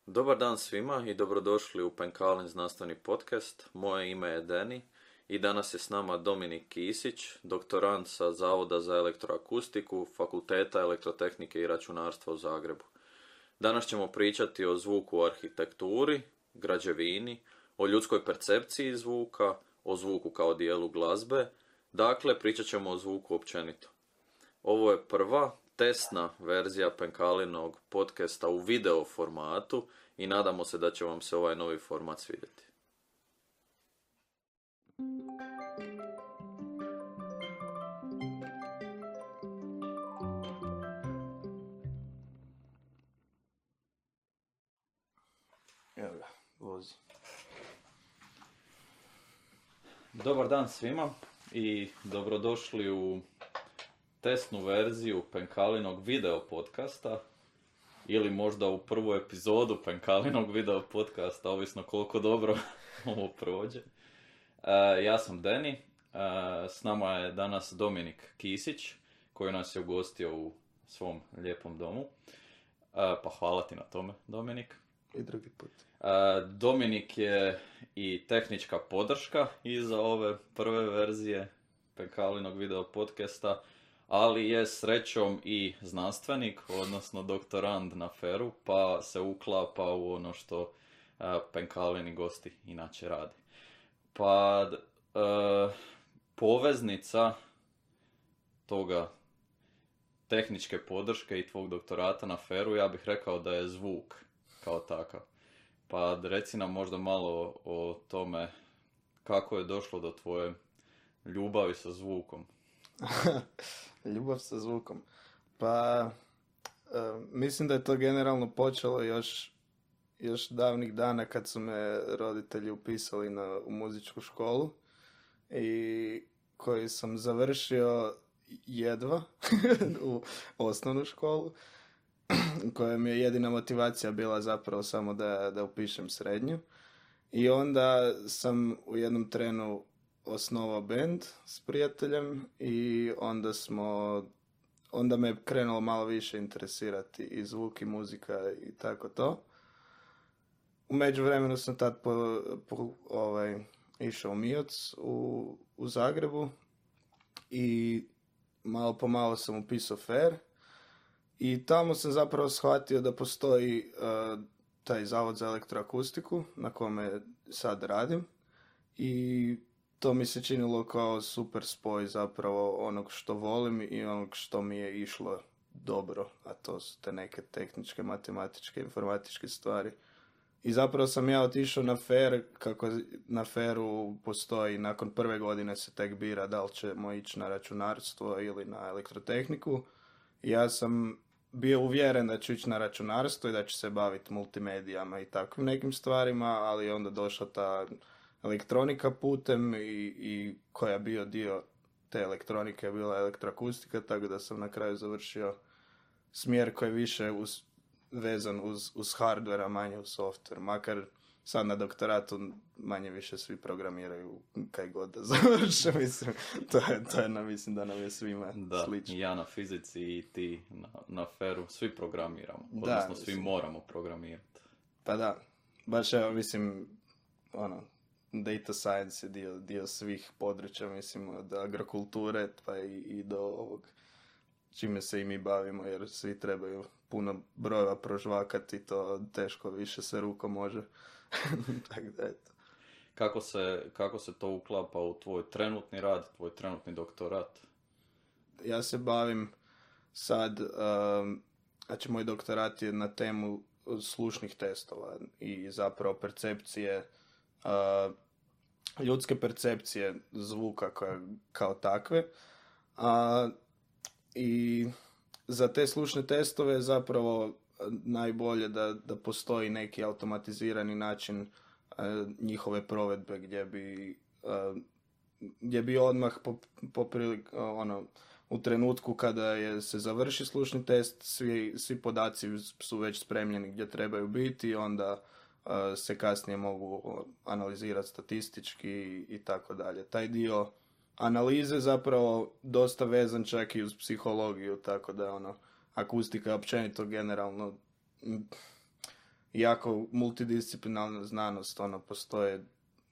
Dobar dan svima i dobrodošli u Penkalin znanstveni podcast. Moje ime je Deni i danas je s nama Dominik Kisić, doktorant sa Zavoda za elektroakustiku, Fakulteta elektrotehnike i računarstva u Zagrebu. Danas ćemo pričati o zvuku u arhitekturi, građevini, o ljudskoj percepciji zvuka, o zvuku kao dijelu glazbe, dakle pričat ćemo o zvuku općenito. Ovo je prva testna verzija Penkalinog podcasta u video formatu i nadamo se da će vam se ovaj novi format svidjeti. Evo ga, vozi. Dobar dan svima i dobrodošli u testnu verziju Penkalinog video podcasta ili možda u prvu epizodu Penkalinog video podcasta, ovisno koliko dobro ovo prođe. Ja sam Deni, s nama je danas Dominik Kisić koji nas je ugostio u svom lijepom domu. Pa hvala ti na tome, Dominik. I drugi put. Dominik je i tehnička podrška iza ove prve verzije Penkalinog video podcasta, ali je srećom i znanstvenik, odnosno doktorand na FER-u, pa se uklapa u ono što Penkalini gosti inače radi. Pa poveznica toga tehničke podrške i tvog doktorata na FER-u, ja bih rekao da je zvuk kao takav. Pa reci nam možda malo o tome kako je došlo do tvoje ljubavi sa zvukom. Ljubav sa zvukom. Pa, mislim da je to generalno počelo još davnih dana kad su me roditelji upisali u muzičku školu i koju sam završio jedva u osnovnu školu, koja mi je jedina motivacija bila zapravo samo da upišem srednju. I onda sam u jednom trenu osnovao band s prijateljem i onda me je krenulo malo više interesirati i zvuk i muzika i tako to. U međuvremenu sam tad išao u MIOC u Zagrebu i malo po malo sam upisao FER i tamo sam zapravo shvatio da postoji taj Zavod za elektroakustiku na kome sad radim i to mi se činilo kao super spoj zapravo onog što volim i onog što mi je išlo dobro, a to su te neke tehničke, matematičke, informatičke stvari. I zapravo sam ja otišao na FER, kako na FER-u postoji, nakon prve godine se tek bira da li ćemo ići na računarstvo ili na elektrotehniku. I ja sam bio uvjeren da ću ići na računarstvo i da ću se baviti multimedijama i takvim nekim stvarima, ali je onda došla ta elektronika putem i koja je bio dio te elektronike je bila elektroakustika, tako da sam na kraju završio smjer koji je više vezan uz hardware, a manje uz software. Makar sad na doktoratu manje više svi programiraju kaj god da završe, mislim. Mislim da nam je svima slično. Da, ja na fizici i ti na FER-u svi programiramo, odnosno svi moramo programirati. Pa da, baš evo, mislim, data science je dio svih područja, mislim, od agrokulture pa i do ovog čime se i mi bavimo, jer svi trebaju puno brojeva prožvakati, to teško više se rukom može. Tako da eto. Kako se to uklapa u tvoj trenutni rad, tvoj trenutni doktorat? Ja se bavim sad, znači moj doktorat je na temu slušnih testova i zapravo percepcije, ljudske percepcije zvuka kao takve. I za te slušne testove je zapravo najbolje da postoji neki automatizirani način njihove provedbe gdje bi odmah u trenutku kada se završi slušni test, svi podaci su već spremljeni gdje trebaju biti i onda se kasnije mogu analizirati statistički i tako dalje. Taj dio analize zapravo dosta vezan čak i uz psihologiju, tako da akustika je općenito generalno jako multidisciplinarna znanost, ono, postoje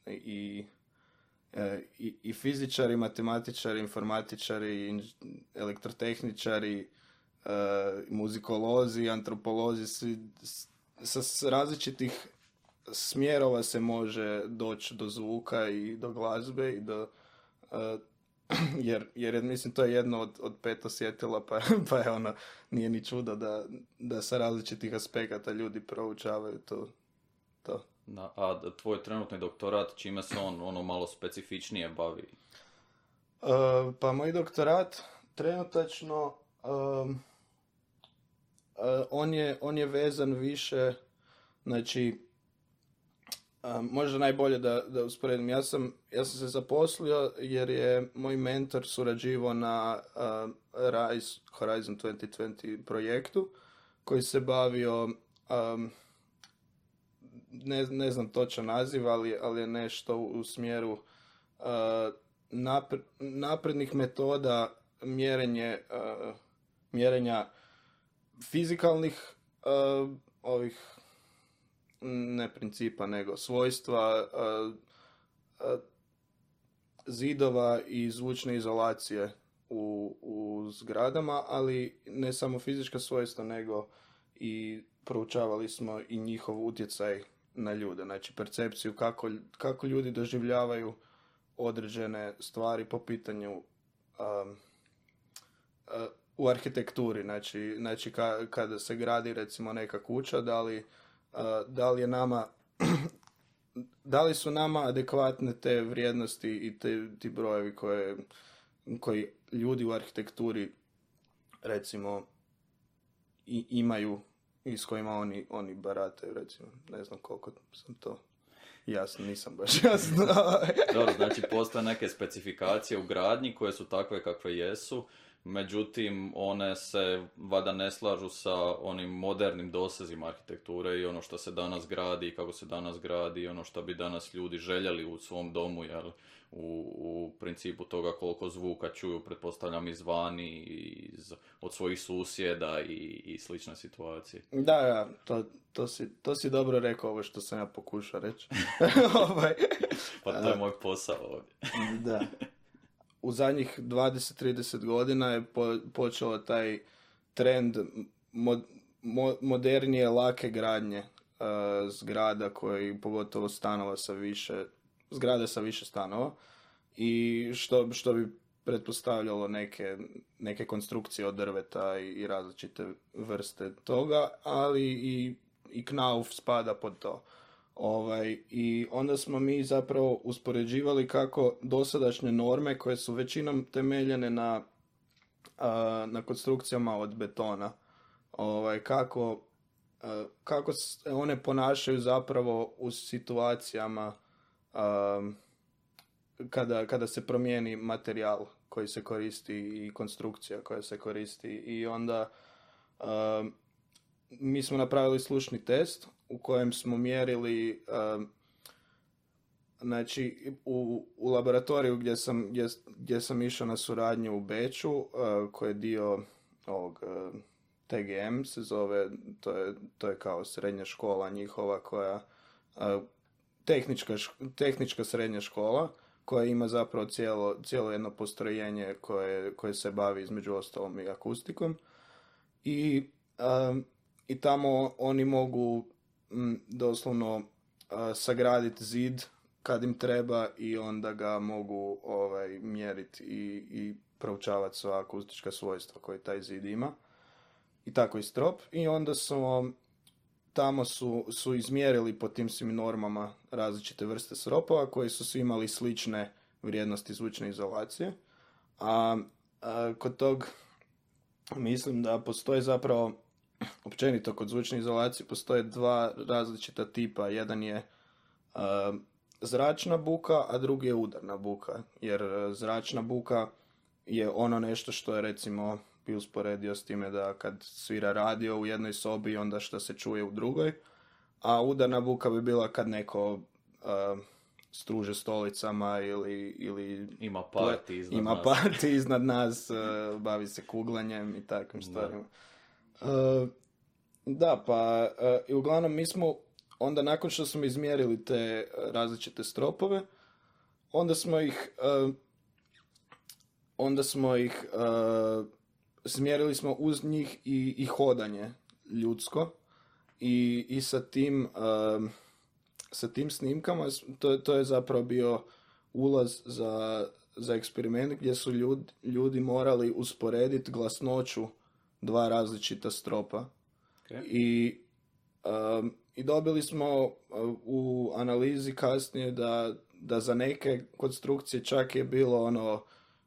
i i fizičari, matematičari, informatičari, elektrotehničari, muzikolozi, antropolozi, sa različitih smjerova se može doći do zvuka i do glazbe i do jer mislim to je jedno od 5 osjetila, pa je ono, nije ni čudo da sa različitih aspekata ljudi proučavaju to. A tvoj trenutni doktorat, čime se on ono malo specifičnije bavi? Pa moj doktorat trenutačno on je vezan više, znači možda najbolje da usporedim. Ja sam se zaposlio jer je moj mentor surađivao na RISE Horizon 2020 projektu koji se bavio ne znam točan naziv, ali je nešto u smjeru naprednih metoda mjerenja fizikalnih ovih, ne principa, nego svojstva zidova i zvučne izolacije u zgradama, ali ne samo fizička svojstva, nego i proučavali smo i njihov utjecaj na ljude, znači percepciju kako ljudi doživljavaju određene stvari po pitanju u arhitekturi, znači kada se gradi recimo neka kuća, da li je nama da li su nama adekvatne te vrijednosti i ti brojevi koji ljudi u arhitekturi recimo imaju i s kojima oni barataju, recimo. Ne znam koliko sam to jasno, nisam baš jasno. Dobro, znači postoje neke specifikacije u gradnji koje su takve kakve jesu, međutim one se valjda ne slažu sa onim modernim dosezima arhitekture i ono što se danas gradi i kako se danas gradi i ono što bi danas ljudi željeli u svom domu, jel, u principu toga koliko zvuka čuju, pretpostavljam izvani, od svojih susjeda i slične situacije. Da, to si dobro rekao, ovo što sam ja pokušao reći. Pa to je moj posao ovdje. Da. U zadnjih 20-30 godina je počeo taj trend modernije, lake gradnje zgrada, koji pogotovo stanova zgrade sa više stanova, i što bi pretpostavljalo neke konstrukcije od drveta i različite vrste toga, ali i knauf spada pod to. I onda smo mi zapravo uspoređivali kako dosadašnje norme, koje su većinom temeljene na konstrukcijama od betona, kako se one ponašaju zapravo u situacijama kada se promijeni materijal koji se koristi i konstrukcija koja se koristi. I onda mi smo napravili slušni test u kojem smo mjerili, znači u laboratoriju gdje sam išao na suradnju u Beču, koji je dio ovog TGM se zove, to je kao srednja škola njihova, koja tehnička srednja škola, koja ima zapravo cijelo jedno postrojenje koje se bavi između ostalom i akustikom. I tamo oni mogu doslovno sagraditi zid kad im treba i onda ga mogu mjeriti i proučavati sva akustička svojstva koje taj zid ima. I tako i strop. I onda tamo su izmjerili po tim svim normama različite vrste sropova koji su svi imali slične vrijednosti zvučne izolacije. A kod tog mislim da postoji zapravo, općenito kod zvučne izolacije postoje dva različita tipa. Jedan je zračna buka, a drugi je udarna buka. Jer zračna buka je ono nešto što je, recimo, bi usporedio s time da kad svira radio u jednoj sobi, onda što se čuje u drugoj. A udarna buka bi bila kad neko struže stolicama ili ima party iznad nas, bavi se kuglanjem i takvim stvarima. Da, pa i uglavnom mi smo onda nakon što smo izmjerili te različite stropove, onda smo ih smjerili smo uz njih i hodanje ljudsko i sa tim snimkama to je zapravo bio ulaz za eksperiment gdje su ljudi morali usporediti glasnoću dva različita stropa. Okay. I dobili smo u analizi kasnije da za neke konstrukcije čak je bilo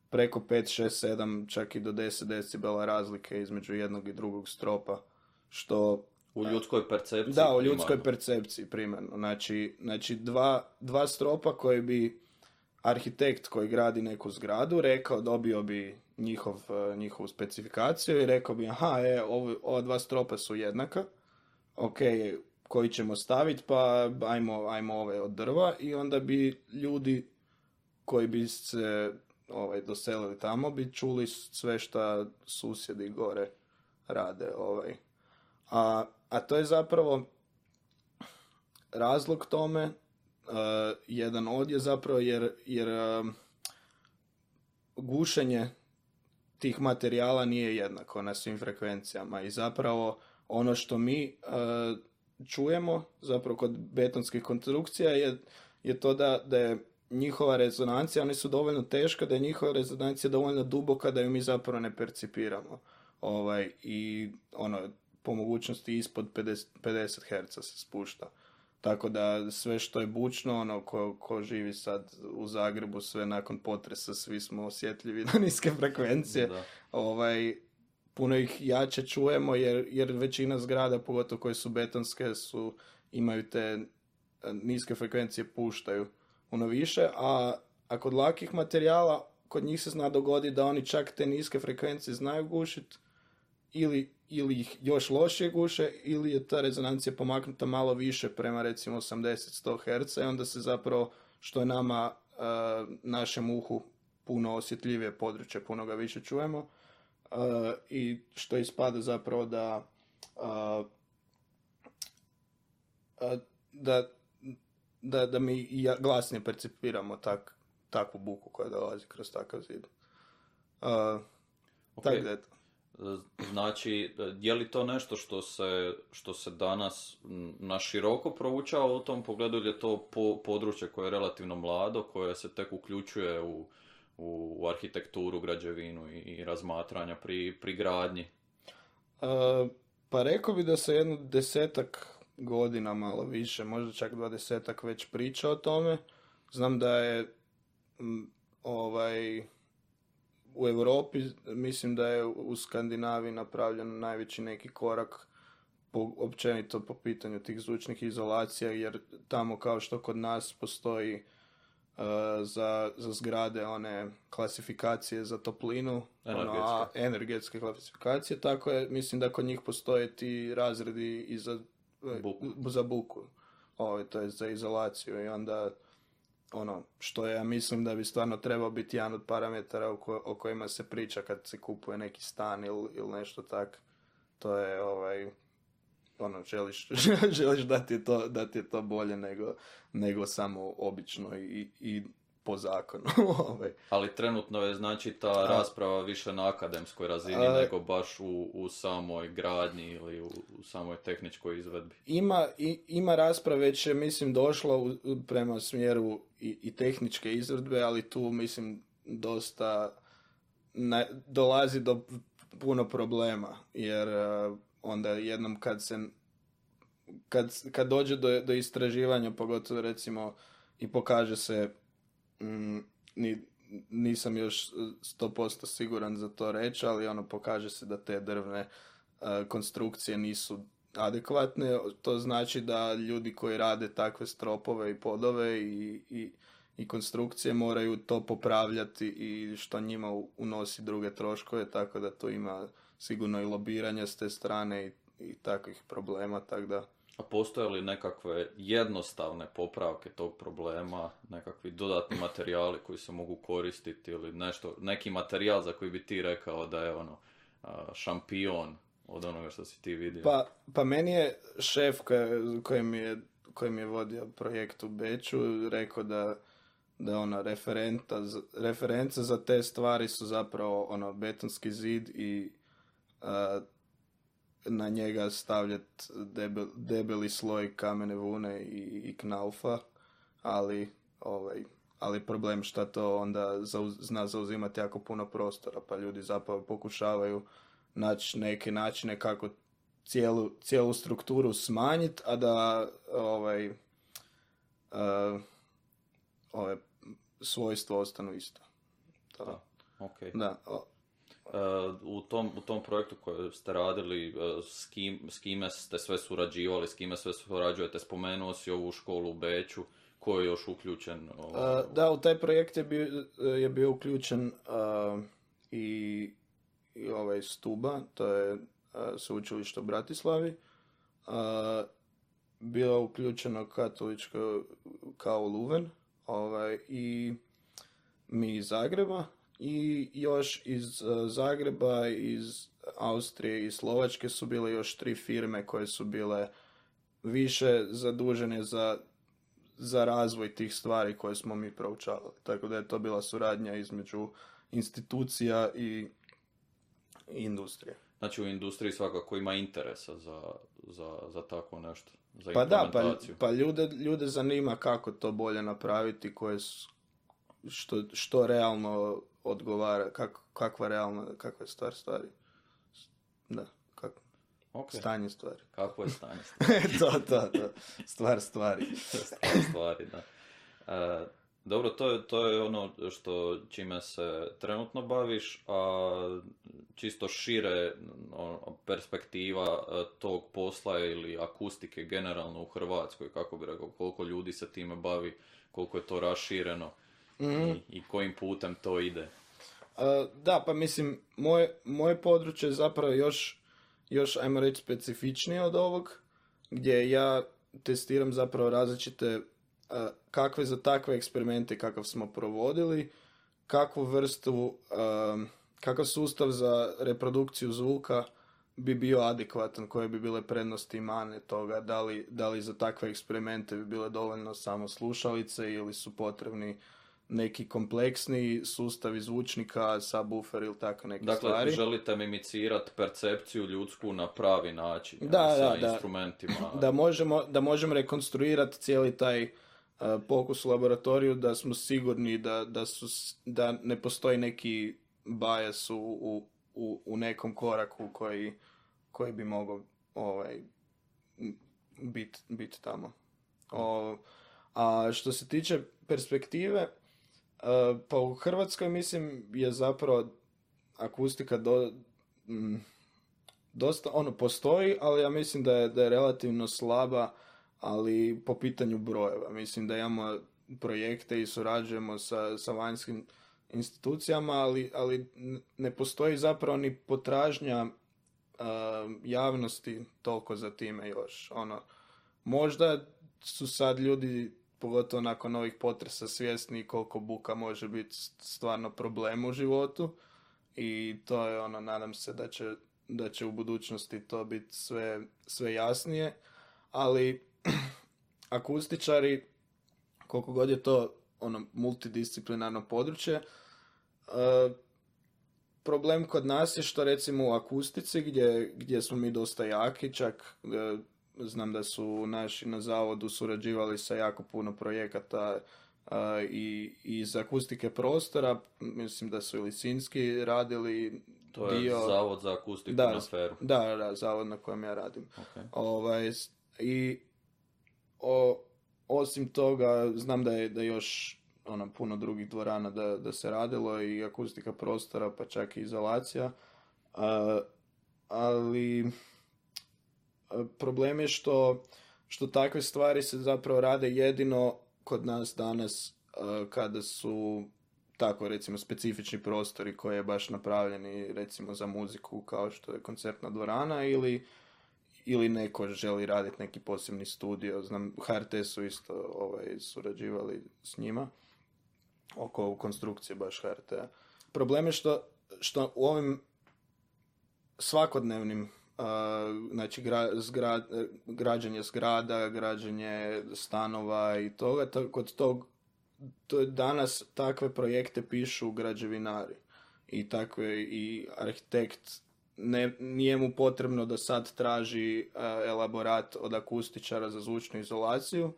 preko 5, 6, 7, čak i do 10 decibela razlike između jednog i drugog stropa, što... U ljudskoj percepciji? Da, u ljudskoj percepciji primarno. Znači dva stropa koji bi arhitekt koji gradi neku zgradu rekao, dobio bi njihovu specifikaciju i rekao bi, ova dva stropa su jednaka, ok, koji ćemo staviti, pa ajmo ove od drva, i onda bi ljudi koji bi se doselili tamo bi čuli sve šta susjedi gore rade. A to je zapravo razlog tome, jedan od je zapravo jer gušenje tih materijala nije jednako na svim frekvencijama i zapravo ono što mi čujemo zapravo kod betonskih konstrukcija je to da je njihova rezonancija, oni su dovoljno teška da je njihova rezonancija dovoljno duboka da ju mi zapravo ne percipiramo. I po mogućnosti ispod 50 Hz se spušta. Tako da sve što je bučno, ko živi sad u Zagrebu, sve nakon potresa, svi smo osjetljivi na niske frekvencije. Da. Puno ih jače čujemo jer većina zgrada, pogotovo koje su betonske, imaju te niske frekvencije, puštaju više, a kod lakih materijala, kod njih se zna dogodi da oni čak te niske frekvencije znaju gušiti ili ih još lošije guše, ili je ta rezonancija pomaknuta malo više prema recimo 80-100 Hz i onda se zapravo, što je nama, našem uhu puno osjetljivije područje, puno ga više čujemo, i što ispada zapravo da mi glasnije percipiramo takvu buku koja dolazi kroz takav zid. Okay. Tako da je to. Znači, je li to nešto što se danas na široko proučava u tom pogledu, ili je to područje koje je relativno mlado, koje se tek uključuje u arhitekturu, građevinu i razmatranja pri gradnji? Pa rekao bi da se jedno 10 godina, malo više, možda čak 20 već priča o tome. Znam da je u Europi, mislim da je u Skandinaviji napravljen najveći neki korak općenito po pitanju tih zvučnih izolacija, jer tamo kao što kod nas postoji za zgrade one klasifikacije za toplinu, energetske klasifikacije, tako je, mislim da kod njih postoje ti razredi i za buku, to je za izolaciju, i onda što ja mislim da bi stvarno trebao biti jedan od parametara o kojima se priča kad se kupuje neki stan ili nešto tak. To je želiš da ti je to bolje nego samo obično i po zakonu. Ali trenutno je znači ta rasprava više na akademskoj razini nego baš u samoj gradnji ili u samoj tehničkoj izvedbi. Ima rasprave, već je mislim došlo prema smjeru i tehničke izvedbe, ali tu mislim dosta dolazi do puno problema, jer onda jednom kad dođe do istraživanja, pogotovo recimo i pokaže se, nisam još 100% siguran za to reći, ali pokaže se da te drvne konstrukcije nisu adekvatne. To znači da ljudi koji rade takve stropove i podove i konstrukcije moraju to popravljati, i što njima unosi druge troškove, tako da to ima sigurno i lobiranja s te strane i takvih problema, tako da... A postoje li nekakve jednostavne popravke tog problema, nekakvi dodatni materijali koji se mogu koristiti, ili neki materijal za koji bi ti rekao da je šampion od onoga što si ti vidio? Pa meni je šef koji mi je vodio projekt u Beču rekao da ona referenca za te stvari su zapravo ono betonski zid i na njega stavljati debeli sloj kamene vune i knaufa, ali problem što to onda zna zauzimati jako puno prostora, pa ljudi zapravo pokušavaju naći neke načine kako cijelu strukturu smanjiti, a da ove svojstva ostanu isto. Da, okay. Da. U tom projektu koji ste radili, s kime ste sve surađivali, s kime sve surađujete, spomenuo si ovu školu u Beču, ko je još uključen? Da, u taj projekt je bio uključen i ovaj Stuba, to je sveučilište u Bratislavi, bilo uključeno katoličko kao Luven, i mi iz Zagreba, i još iz Zagreba, iz Austrije i Slovačke su bile još 3 firme koje su bile više zadužene za razvoj tih stvari koje smo mi proučavali. Tako da je to bila suradnja između institucija i industrije. Znači u industriji svakako ima interesa za takvo nešto, za pa implementaciju. Pa ljude zanima kako to bolje napraviti, što realno odgovara, kakva je stvari. Da, okay. Stanje stvari. Kako je stanje stvari? to. Stvari, da. Dobro, to je ono čime se trenutno baviš, a čisto šire perspektiva tog posla ili akustike generalno u Hrvatskoj, kako bi rekao, koliko ljudi se time bavi, koliko je to rašireno i kojim putem to ide. Da, pa mislim, moje područje je zapravo još ajmo reći specifičnije od ovog, gdje ja testiram zapravo različite kakve za takve eksperimente kakav smo provodili, kakvu vrstu, kakav sustav za reprodukciju zvuka bi bio adekvatan, koje bi bile prednosti i mane toga, da li za takve eksperimente bi bile dovoljno samo slušalice ili su potrebni neki kompleksni sustavi zvučnika, subwoofer ili tako neke stvari. Dakle, želite mimicirati percepciju ljudsku na pravi način, instrumentima. Da možemo rekonstruirati cijeli taj pokus u laboratoriju, da smo sigurni da ne postoji neki bias u nekom koraku koji bi mogao biti tamo. A što se tiče perspektive, pa u Hrvatskoj mislim je zapravo akustika dosta postoji, ali ja mislim da je relativno slaba, ali po pitanju brojeva. Mislim da imamo projekte i surađujemo sa vanjskim institucijama, ali ne postoji zapravo ni potražnja javnosti toliko za time još. Možda su sad ljudi, pogotovo nakon ovih potresa, svjesni koliko buka može biti stvarno problem u životu, i to je nadam se da će u budućnosti to biti sve jasnije, ali akustičari, koliko god je to multidisciplinarno područje, problem kod nas je što recimo u akustici gdje smo mi dosta jaki, čak znam da su naši na zavodu surađivali sa jako puno projekata i iz akustike prostora, mislim da su i Lisinski radili. To je zavod za akustiku na Feru. Da, zavod na kojem ja radim. Okay. Osim toga, znam da je još puno drugih dvorana da se radilo, i akustika prostora, pa čak i izolacija. Ali problem je što takve stvari se zapravo rade jedino kod nas danas kada su tako recimo specifični prostori koji je baš napravljeni recimo za muziku, kao što je koncertna dvorana, ili neko želi raditi neki posebni studio. Znam, HRT su isto surađivali s njima oko konstrukcije baš HRT-a. Problem je što u ovim svakodnevnim znači građenje zgrada, građenje stanova i toga. Kod tog danas takve projekte pišu građevinari i arhitekt. Nije mu potrebno da sad traži elaborat od akustičara za zvučnu izolaciju,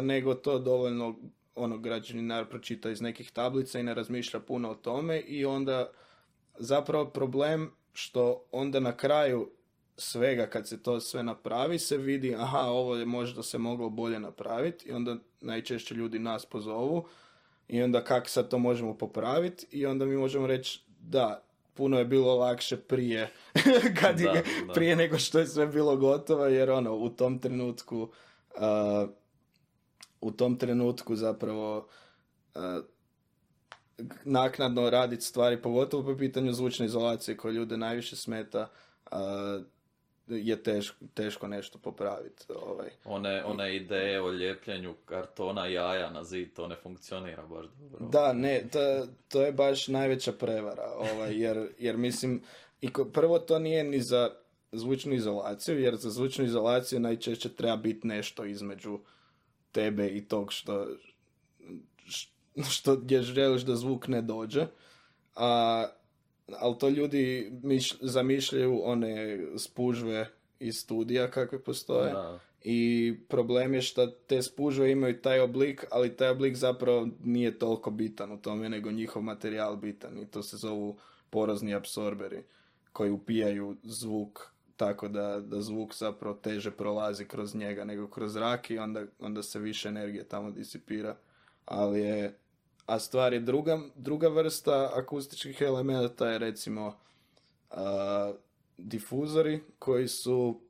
nego to dovoljno građevinar pročita iz nekih tablica i ne razmišlja puno o tome i onda zapravo problem što onda na kraju svega kad se to sve napravi se vidi aha, ovo je možda se moglo bolje napraviti i onda najčešće ljudi nas pozovu i onda kako sad to možemo popraviti i onda mi možemo reći da, puno je bilo lakše prije prije nego što je sve bilo gotovo jer u tom trenutku zapravo naknadno raditi stvari, pogotovo po pitanju zvučne izolacije koje ljude najviše smeta, je teško nešto popraviti. One ideje o ljepljenju kartona jaja na zid, to ne funkcionira baš dobro. Da, ne, to je baš najveća prevara, jer mislim, prvo to nije ni za zvučnu izolaciju, jer za zvučnu izolaciju najčešće treba biti nešto između tebe i tog što gdje želiš da zvuk ne dođe, ali to ljudi zamišljaju one spužve iz studija kakve postoje. Da. I problem je što te spužve imaju taj oblik, ali taj oblik zapravo nije toliko bitan u tome, nego njihov materijal bitan i to se zovu porozni apsorberi koji upijaju zvuk tako da zvuk zapravo teže prolazi kroz njega nego kroz zrak i onda se više energije tamo disipira. A stvar je druga vrsta akustičkih elemenata je recimo difuzori koji su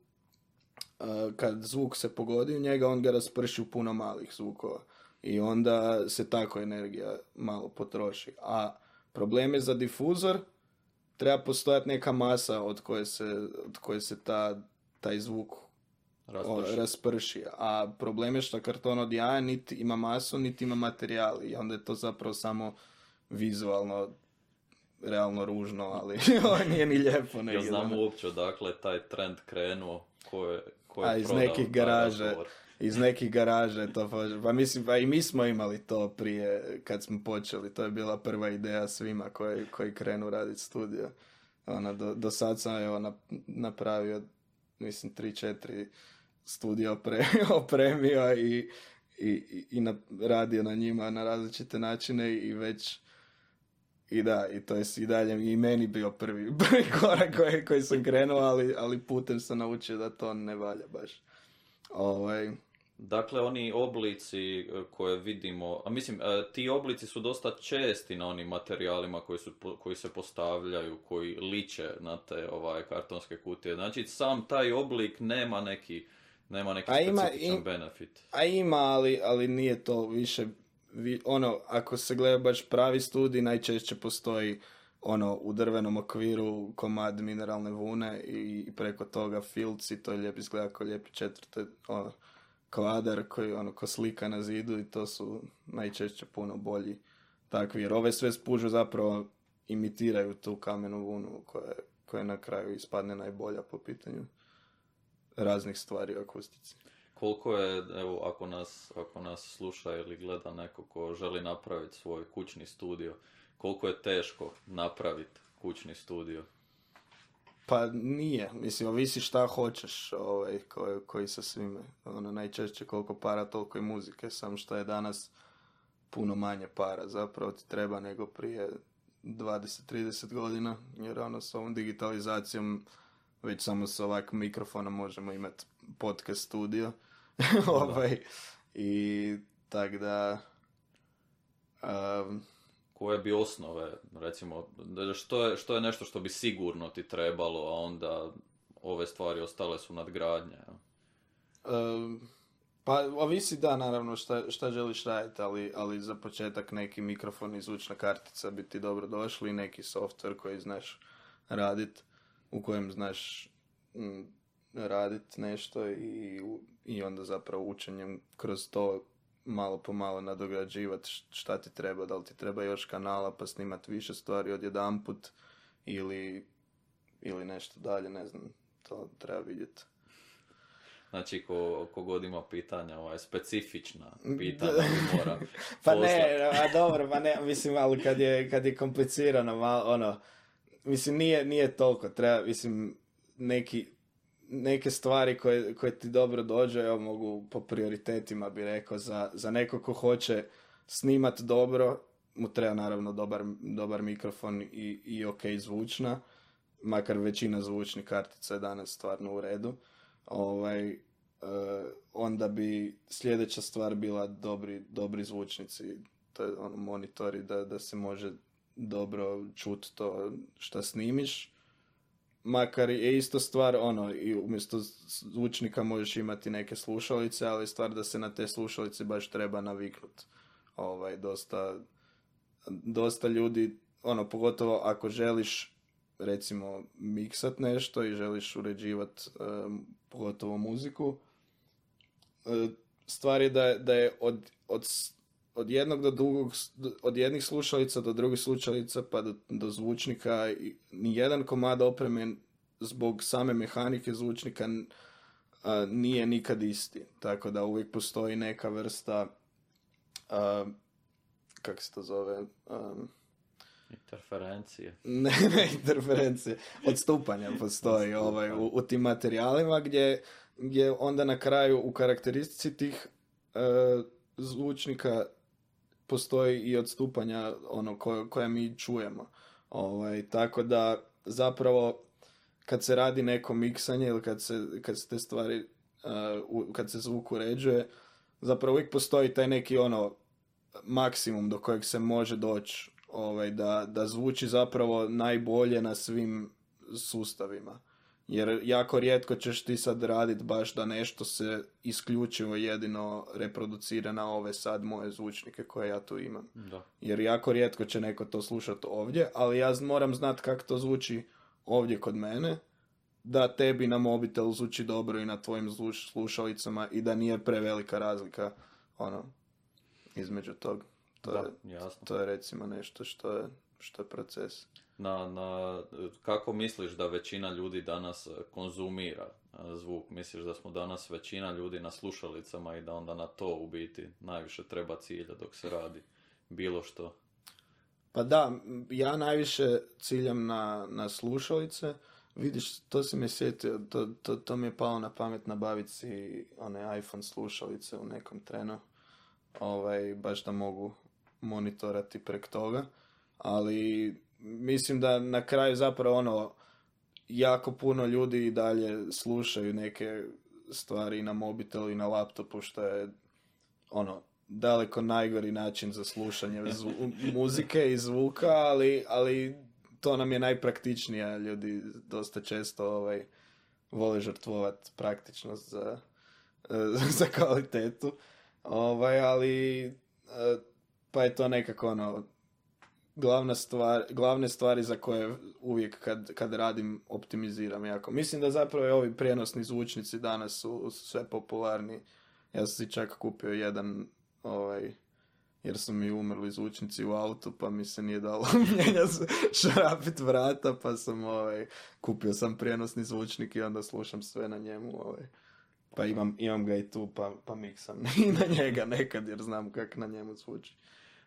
kad zvuk se pogodi u njega on ga rasprši u puno malih zvukova i onda se tako energija malo potroši. A problem je za difuzor treba postojati neka masa od koje se taj zvuk rasprši. A problem je što karton od jaja niti ima masu, niti ima materijal i onda je to zapravo samo vizualno realno ružno, ali nije ni lijepo. Ja znam uopće odakle taj trend krenuo, ko je iz nekih garaže. Iz nekih garaža je to, pa mislim, pa i mi smo imali to prije kad smo počeli, to je bila prva ideja svima koji krenu raditi studio. Do sad sam napravio, mislim, 3-4 studija opremio i radio na njima na različite načine i već i to je i dalje i meni bio prvi korak koji sam krenuo, ali putem sam naučio da to ne valja baš. Dakle, oni oblici koje vidimo, ti oblici su dosta česti na onim materijalima koji se postavljaju, koji liče na te kartonske kutije. Znači, sam taj oblik nema neki specifičan benefit. A ima, ali nije to više, ako se gleda baš pravi studij, najčešće postoji u drvenom okviru komad mineralne vune i preko toga filci, to je lijep izgleda kao lijepi četvrte, kvadar koji ko slika na zidu i to su najčešće puno bolji takvi, jer ove sve spužve zapravo imitiraju tu kamenu vunu koja na kraju ispadne najbolja po pitanju raznih stvari u akustici. Koliko je, evo, ako nas sluša ili gleda neko ko želi napraviti svoj kućni studio, koliko je teško napraviti kućni studio? Pa nije, mislim, ovisi šta hoćeš, koji sa svime. Najčešće koliko para, toliko i muzike, samo što je danas puno manje para, zapravo ti treba nego prije 20-30 godina, jer s ovom digitalizacijom već samo s ovakvim mikrofonom možemo imati podcast studio. I tak da... Koje bi osnove, recimo, što je nešto što bi sigurno ti trebalo, a onda ove stvari ostale su nadgradnje? Pa ovisi naravno šta želiš raditi, ali za početak neki mikrofon i zvučna kartica bi ti dobro došli, neki software koji znaš raditi, u kojem znaš raditi nešto i onda zapravo učenjem kroz to malo po malo nadograđivati šta ti treba, da li ti treba još kanala pa snimati više stvari odjedanput ili nešto dalje, ne znam. to treba vidjeti. Znači, ko god ima pitanja, specifična pitanja mora Pa poslati. ne, a dobro, pa ne, mislim, ali kad je komplicirano, ono, mislim, nije toliko, treba, mislim, neke stvari koje ti dobro dođe, evo, mogu po prioritetima bi rekao, za neko ko hoće snimat dobro, mu treba naravno dobar mikrofon i ok zvučna, makar većina zvučnih kartica je danas stvarno u redu. Onda bi sljedeća stvar bila dobri zvučnici, to je monitori da se može dobro čuti to što snimiš. Makar je isto stvar, i umjesto zvučnika možeš imati neke slušalice, ali stvar da se na te slušalice baš treba naviknuti. Dosta ljudi, pogotovo ako želiš recimo miksat nešto i želiš uređivati pogotovo muziku, stvar je da je od jednog do drugog, od jednih slušalica do drugih slušalica pa do zvučnika, nijedan komad opreme zbog same mehanike zvučnika nije nikad isti. Tako da uvijek postoji neka vrsta kako se to zove? Interferencije. Ne interferencije. Odstupanja postoji u tim materijalima gdje onda na kraju u karakteristici tih zvučnika postoji i odstupanja koje mi čujemo. Tako da zapravo kad se radi neko miksanje ili kad se te stvari kad se zvuk uređuje, zapravo uvijek postoji taj neki maksimum do kojeg se može doći, da zvuči zapravo najbolje na svim sustavima. Jer jako rijetko ćeš ti sad raditi baš da nešto se isključivo jedino reproducira na ove sad moje zvučnike koje ja tu imam. Da. Jer jako rijetko će neko to slušati ovdje, ali ja moram znati kako to zvuči ovdje kod mene, da tebi na mobitelu zvuči dobro i na tvojim slušalicama i da nije prevelika razlika između tog. To je recimo nešto što je proces. Kako misliš da većina ljudi danas konzumira zvuk? Misliš da smo danas većina ljudi na slušalicama i da onda na to u biti najviše treba cilja dok se radi bilo što? Pa da, ja najviše ciljam na slušalice. Vidiš, to si me sjetio, to mi je palo na pamet nabaviti si one iPhone slušalice u nekom trenu. Baš da mogu monitorati prek toga. Ali mislim da na kraju zapravo jako puno ljudi i dalje slušaju neke stvari na mobitelu i na laptopu, što je daleko najgori način za slušanje muzike i zvuka, ali to nam je najpraktičnije. Ljudi dosta često vole žrtvovati praktičnost za kvalitetu. Ali pa je to nekako glavne stvari za koje uvijek kad radim optimiziram jako. Mislim da zapravo ovi prijenosni zvučnici danas su sve popularni. Ja sam si čak kupio jedan jer su mi umrli zvučnici u autu, pa mi se nije dalo šarapit vrata, pa sam kupio sam prijenosni zvučnik i onda slušam sve na njemu. Pa imam ga i tu, pa miksam i na njega nekad, jer znam kako na njemu zvuči.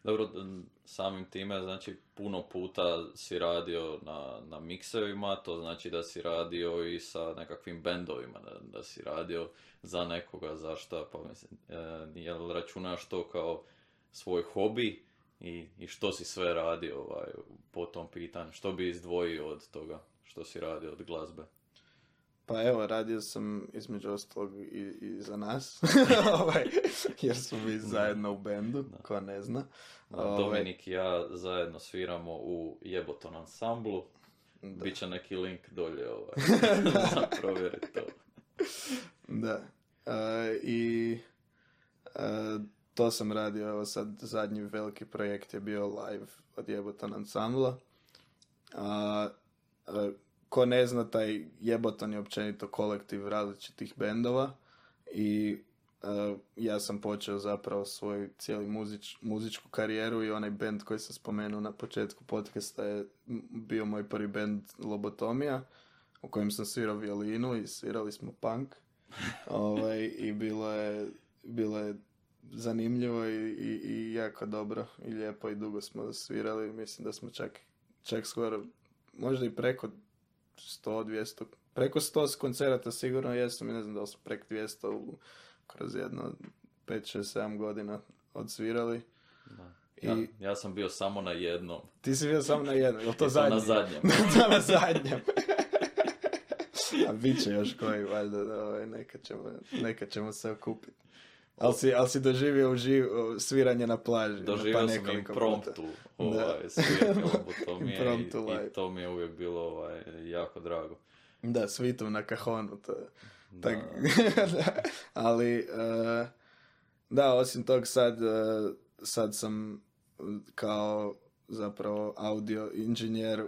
Dobro, samim time, znači, puno puta si radio na miksevima, to znači da si radio i sa nekakvim bendovima, da si radio za nekoga, za šta, pa mislim, jel računaš to kao svoj hobi i što si sve radio po tom pitanju, što bi izdvojio od toga što si radio od glazbe? Pa evo, radio sam između ostalog i za nas, jer smo mi zajedno u bendu, ko ne zna. Dominik i ja zajedno sviramo u Jeboton ansamblu, biće neki link dolje za provjeriti to. Da, to sam radio, evo sad zadnji veliki projekt je bio live od Jeboton ansambla. Ko ne zna, taj Jeboton je općenito kolektiv različitih bendova i ja sam počeo zapravo svoju cijelu muzičku karijeru i onaj bend koji sam spomenuo na početku podcasta je bio moj prvi bend Lobotomija, u kojem sam svirao violinu i svirali smo punk. I bilo je zanimljivo i jako dobro i lijepo i dugo smo svirali. Mislim da smo čak skoro, možda i preko 100-200, preko 100 koncerata sigurno jesam i ne znam da li smo preko 200 kroz jedno 5-6-7 godina odsvirali. Da. Ja sam bio samo na jednom. Ti si bio samo na jednom, je li to zadnji? Na zadnjem. Na zadnjem. A bit će još koji, valjda, nekad ćemo se okupiti. Ali si doživio sviranje na plaži. Doživio sam impromptu sviranje lobotomije i to mi je uvijek bilo jako drago. Da, svitom na kahonu. Ali, da, osim tog sad sam kao zapravo audio inženjer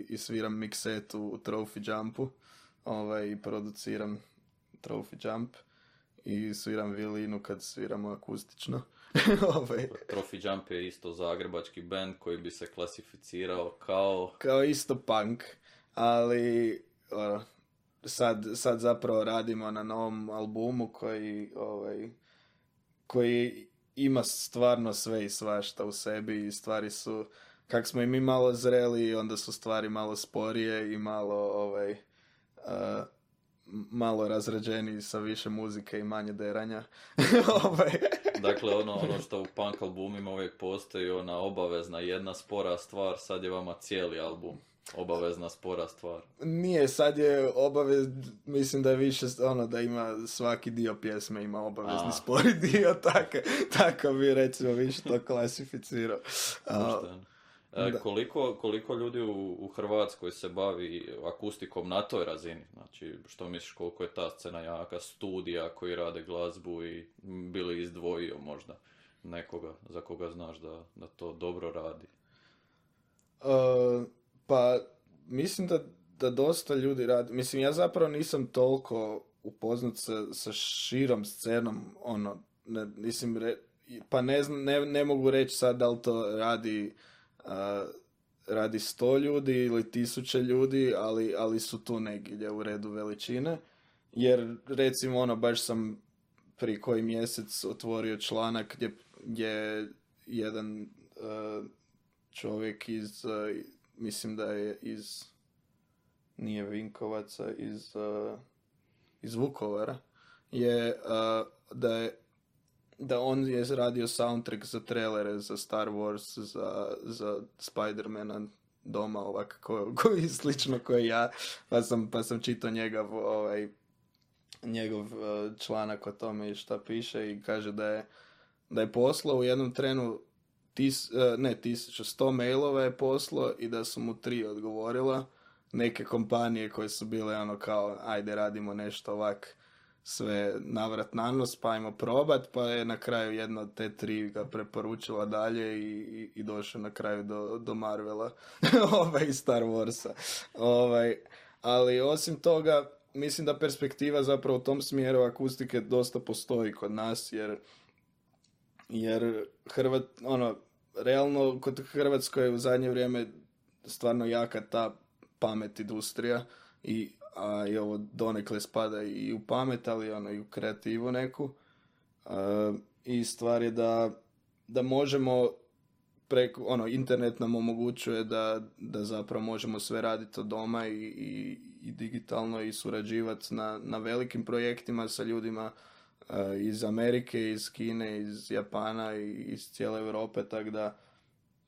i sviram miksetu u Trophy Jumpu i produciram Trophy Jump i sviram violinu kad sviramo akustično. Trophy Jump je isto zagrebački band koji bi se klasificirao kao isto punk, ali sad zapravo radimo na novom albumu koji ima stvarno sve i svašta u sebi i stvari su, kak smo i mi malo zreli, onda su stvari malo sporije i malo razrađeniji sa više muzike i manje deranja. Dakle, ono što u punk albumima uvijek postoji, ona obavezna jedna spora stvar, sad je vama cijeli album obavezna spora stvar. Nije, sad je mislim da je više da ima svaki dio pjesme ima obavezni spori dio, tako bi recimo više to klasificirao. Koliko ljudi u Hrvatskoj se bavi akustikom na toj razini? Znači, što misliš koliko je ta scena jaka, studija koji rade glazbu i bili izdvojio možda nekoga za koga znaš da to dobro radi? Pa, mislim da dosta ljudi radi. Mislim, ja zapravo nisam toliko upoznat sa širom scenom, pa ne mogu reći sad da li to radi 100 ljudi ili 1000 ljudi, ali su tu negdje u redu veličine. Jer, recimo, baš sam prije koji mjesec otvorio članak gdje jedan čovjek mislim da je nije Vinkovaca, iz Vukovara, da on je radio soundtrack za trailere, za Star Wars, za Spider-mana doma, ovako, koji slično koji ja, pa sam čitao njegov članak o tome i šta piše i kaže da je poslao u jednom trenu 100 mailova je poslao i da su mu 3 odgovorila. Neke kompanije koje su bile kao, ajde radimo nešto ovak sve navrat na nos, pa ajmo probat, pa je na kraju jedna od te 3 ga preporučila dalje i došao na kraju do Marvela i Star Warsa. Ali osim toga, mislim da perspektiva zapravo u tom smjeru akustike dosta postoji kod nas, jer realno kod Hrvatskoj je u zadnje vrijeme stvarno jaka ta pamet industrija i ovo donekle spada i u pamet, ali i u kreativu neku. I stvar je da možemo preko, internet nam omogućuje da zapravo možemo sve raditi od doma i digitalno i surađivati na velikim projektima sa ljudima iz Amerike, iz Kine, iz Japana i iz cijele Europe, tako da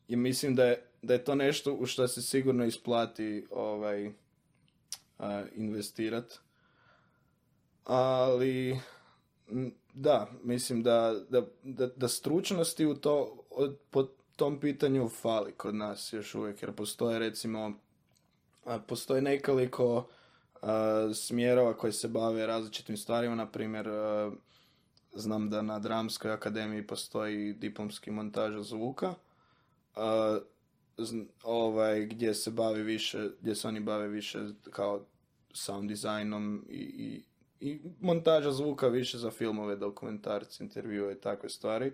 i mislim da je to nešto u što se sigurno isplati investirati. Ali da, mislim da stručnosti po tom pitanju fali kod nas još uvijek, jer postoje nekoliko smjerova koji se bave različitim stvarima. Na primjer, znam da na Dramskoj akademiji postoji diplomski montaža zvuka, gdje se oni bave više kao sound dizajnom i montaža zvuka više za filmove, dokumentarce, intervjue i takve stvari.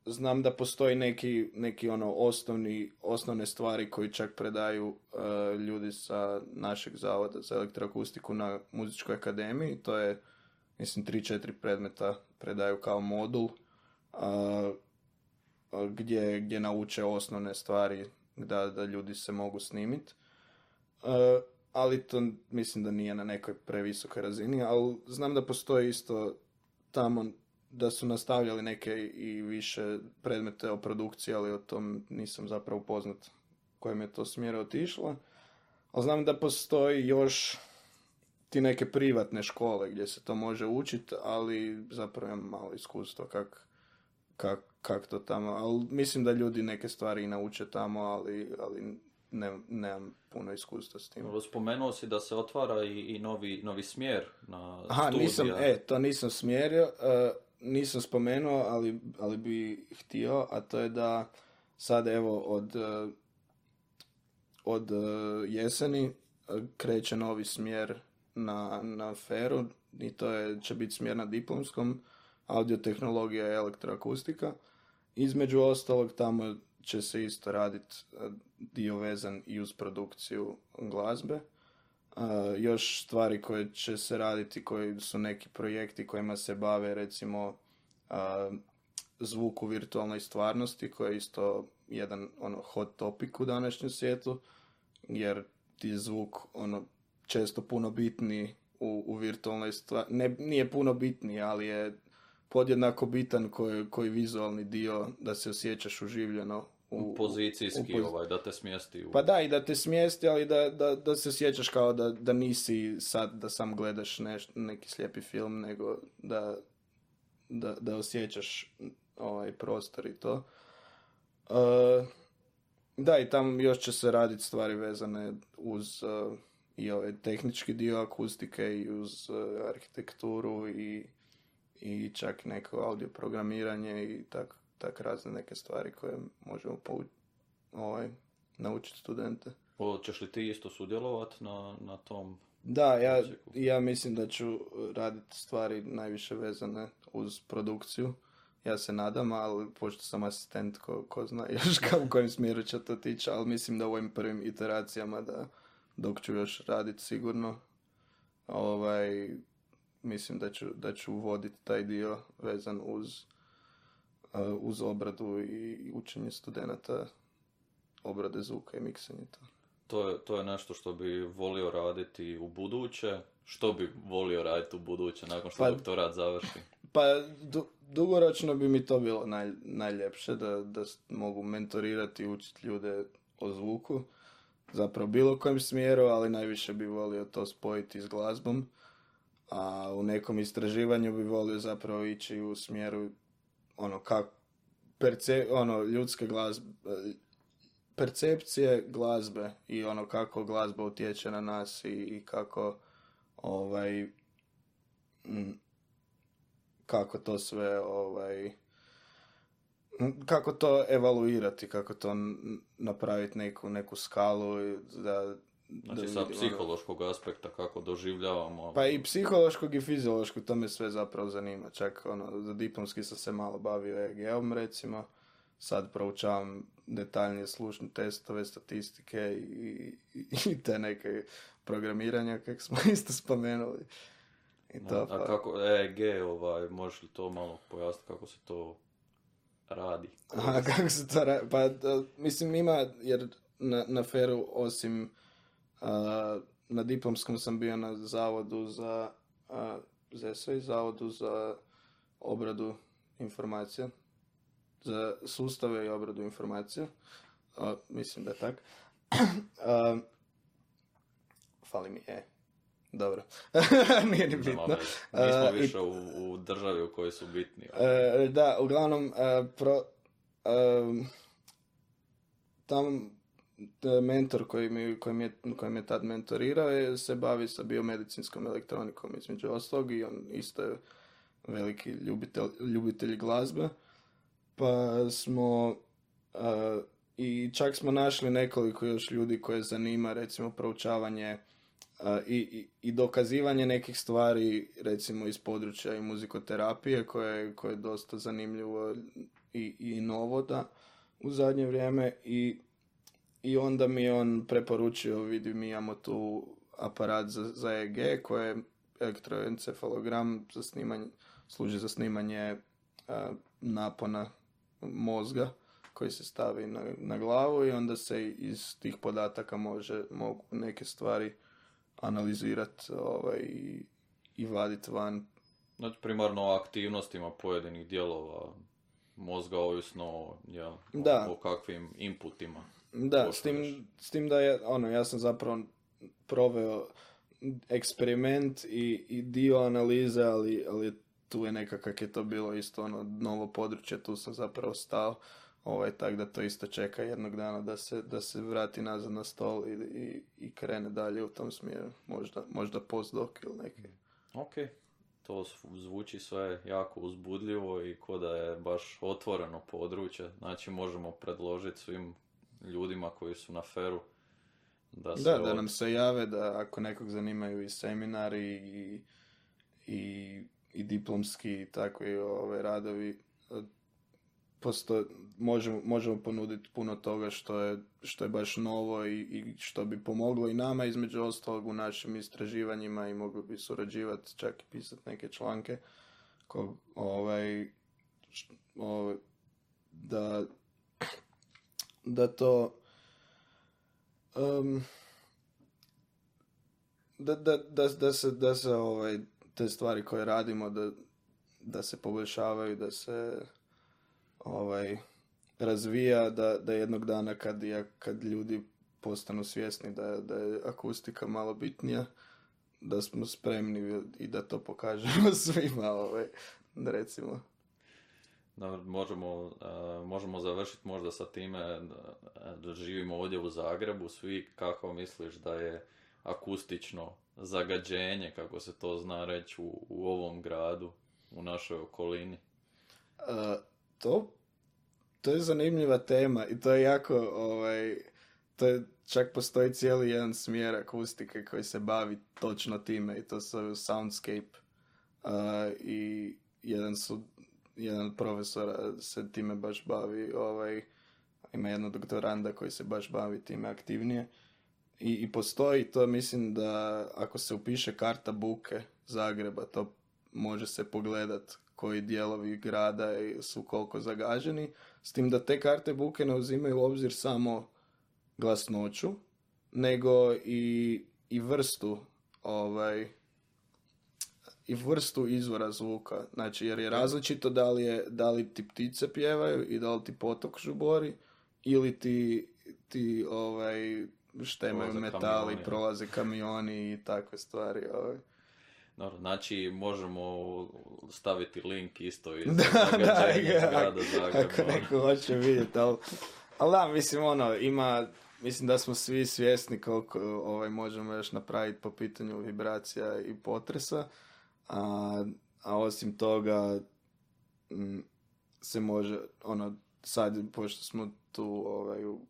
znam da postoji neki ono osnovne stvari koji čak predaju ljudi sa našeg zavoda za elektroakustiku na muzičkoj akademiji. To je, mislim, 3-4 predmeta predaju kao modul gdje nauče osnovne stvari da ljudi se mogu snimiti. Ali to mislim da nije na nekoj previsokoj razini, ali znam da postoji isto tamo da su nastavljali neke i više predmete o produkciji, ali o tom nisam zapravo upoznat kojem je to smjera otišlo. Ali znam da postoji još ti neke privatne škole gdje se to može učiti, ali zapravo imam malo iskustva kak to tamo. Ali mislim da ljudi neke stvari i nauče tamo, ali nemam puno iskustva s tim. Spomenuo si da se otvara i novi smjer na studija. To nisam smjerio. Nisam spomenuo, ali bi htio, a to je da sad evo od jeseni kreće novi smjer na FER-u i će biti smjer na diplomskom, audiotehnologija i elektroakustika. Između ostalog tamo će se isto raditi dio vezan i uz produkciju glazbe. Još stvari koje će se raditi, koji su neki projekti kojima se bave, recimo zvuk u virtualnoj stvarnosti, koji je isto jedan hot topic u današnjem svijetu, jer ti je zvuk često puno bitniji u virtualnoj stvarnosti. Nije puno bitniji, ali je podjednako bitan koji vizualni dio, da se osjećaš uživljeno pozicijski, da te smjesti. Pa da, i da te smjesti, ali da se osjećaš kao da nisi sad, da sam gledaš neki slijepi film, nego da osjećaš prostor i to. Da, i tam još će se raditi stvari vezane uz i ovaj tehnički dio akustike i uz arhitekturu i čak neko audio programiranje i tak razne neke stvari koje možemo naučiti studente. Hoćeš li ti isto sudjelovati na tom? Da, ja mislim da ću raditi stvari najviše vezane uz produkciju. Ja se nadam, ali pošto sam asistent, ko zna još u kojem smjeru će to tići, ali mislim da u ovim prvim iteracijama dok ću još raditi sigurno, mislim da ću voditi taj dio vezan uz obradu i učenje studenata obrade zvuka i miksanje. To je nešto što bi volio raditi u buduće. Što bi volio raditi u buduće nakon što doktorat završi? Pa dugoročno bi mi to bilo najljepše, da mogu mentorirati i učiti ljude o zvuku. Zapravo bilo kojem smjeru, ali najviše bi volio to spojiti s glazbom. A u nekom istraživanju bi volio zapravo ići u smjeru ljudske glazbe, percepcije glazbe i kako glazba utječe na nas i kako kako to sve kako to evaluirati, kako to napraviti neku skalu znači sa psihološkog aspekta kako doživljavamo. Pa i psihološkog i fiziološkog, to me sve zapravo zanima. Čak za diplomski sam se malo bavio EEG-om recimo. Sad proučavam detaljnije slušne testove, statistike i te neke programiranja kak smo isto spomenuli. I to, a kako EEG, možeš li to malo pojasniti kako se to radi? Aha, kako se to radi? Pa mislim ima, jer na FER-u osim na diplomskom sam bio na zavodu za zavodu za obradu informacija, za sustave i obradu informacija. Mislim da je tak. Fali mi dobro. Nije ni bitno. Nismo više u državi u kojoj su bitni. Da, uglavnom tam mentor koji me tad mentorirao se bavi sa biomedicinskom elektronikom između ostalog i on isto je veliki ljubitelj glazbe. Pa smo i čak smo našli nekoliko još ljudi koje zanima recimo proučavanje I dokazivanje nekih stvari, recimo iz područja i muzikoterapije, koje je dosta zanimljivo i novo da u zadnje vrijeme. I onda mi je on preporučio, vidi, mi imamo tu aparat za EEG, koji je elektroencefalogram za snimanje, služi za snimanje napona mozga koji se stavi na glavu i onda se iz tih podataka mogu neke stvari analizirati i vaditi van. Znači, primarno o aktivnostima pojedinih dijelova mozga, ovisno o kakvim inputima. Da, s tim da ja sam zapravo proveo eksperiment i dio analize, ali tu je nekako je to bilo isto novo područje, tu sam zapravo stao, tako da to isto čeka jednog dana da se vrati nazad na stol i krene dalje u tom smjeru, možda postdoc ili neki. Ok, to zvuči sve jako uzbudljivo i ko da je baš otvoreno područje, znači možemo predložiti svim ljudima koji su na feru da nam se jave, da ako nekog zanimaju i seminari i diplomski i takvi radovi, možemo ponuditi puno toga što je baš novo i što bi pomoglo i nama, između ostalog, u našim istraživanjima, i mogli bi surađivati, čak i pisati neke članke da to da se te stvari koje radimo da se poboljšavaju, da se razvija, da jednog dana kad ljudi postanu svjesni da je akustika malo bitnija, da smo spremni i da to pokažemo svima, recimo. Možemo završiti možda sa time da živimo ovdje u Zagrebu, svi, kako misliš da je akustično zagađenje, kako se to zna reći, u ovom gradu, u našoj okolini? To je zanimljiva tema i to je jako, čak postoji cijeli jedan smjer akustike koji se bavi točno time i to se zove soundscape. I jedan profesor se time baš bavi, ima jednog doktoranda koji se baš bavi time aktivnije. I postoji to, mislim da ako se upiše karta buke Zagreba, to može se pogledat koji dijelovi grada su koliko zagađeni, s tim da te karte buke ne uzimaju u obzir samo glasnoću, nego i vrstu izvora zvuka. Znači, jer je različito da li ti ptice pjevaju i da li ti potok žubori ili ti štemaju metali, prolaze kamioni i takve stvari. Dobro, znači možemo staviti link isto iz zagađenja grada Zagreba. Ako neko hoće vidjeti, ali da, mislim, mislim da smo svi svjesni koliko možemo još napraviti po pitanju vibracija i potresa, a osim toga se može, sad, pošto smo tu,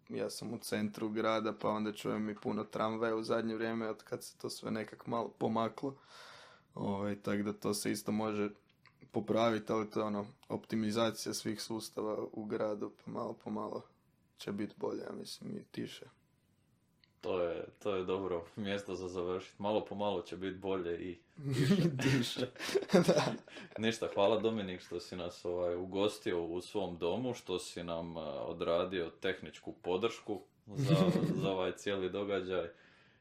ja sam u centru grada, pa onda čujem i puno tramvaja u zadnje vrijeme, od kad se to sve nekak malo pomaklo. Tako da to se isto može popraviti, ali to je optimizacija svih sustava u gradu, pa malo po malo će biti bolje, ja mislim, i tiše. To je dobro mjesto za završiti. Malo po malo će biti bolje i tiše. Da. Ništa, hvala Dominik što si nas ugostio u svom domu, što si nam odradio tehničku podršku za ovaj cijeli događaj.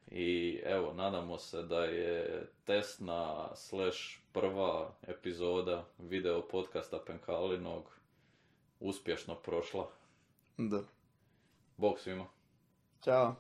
I evo, nadamo se da je testna / prva epizoda video podcasta Penkalinog uspješno prošla. Da. Bog svima. Ćao.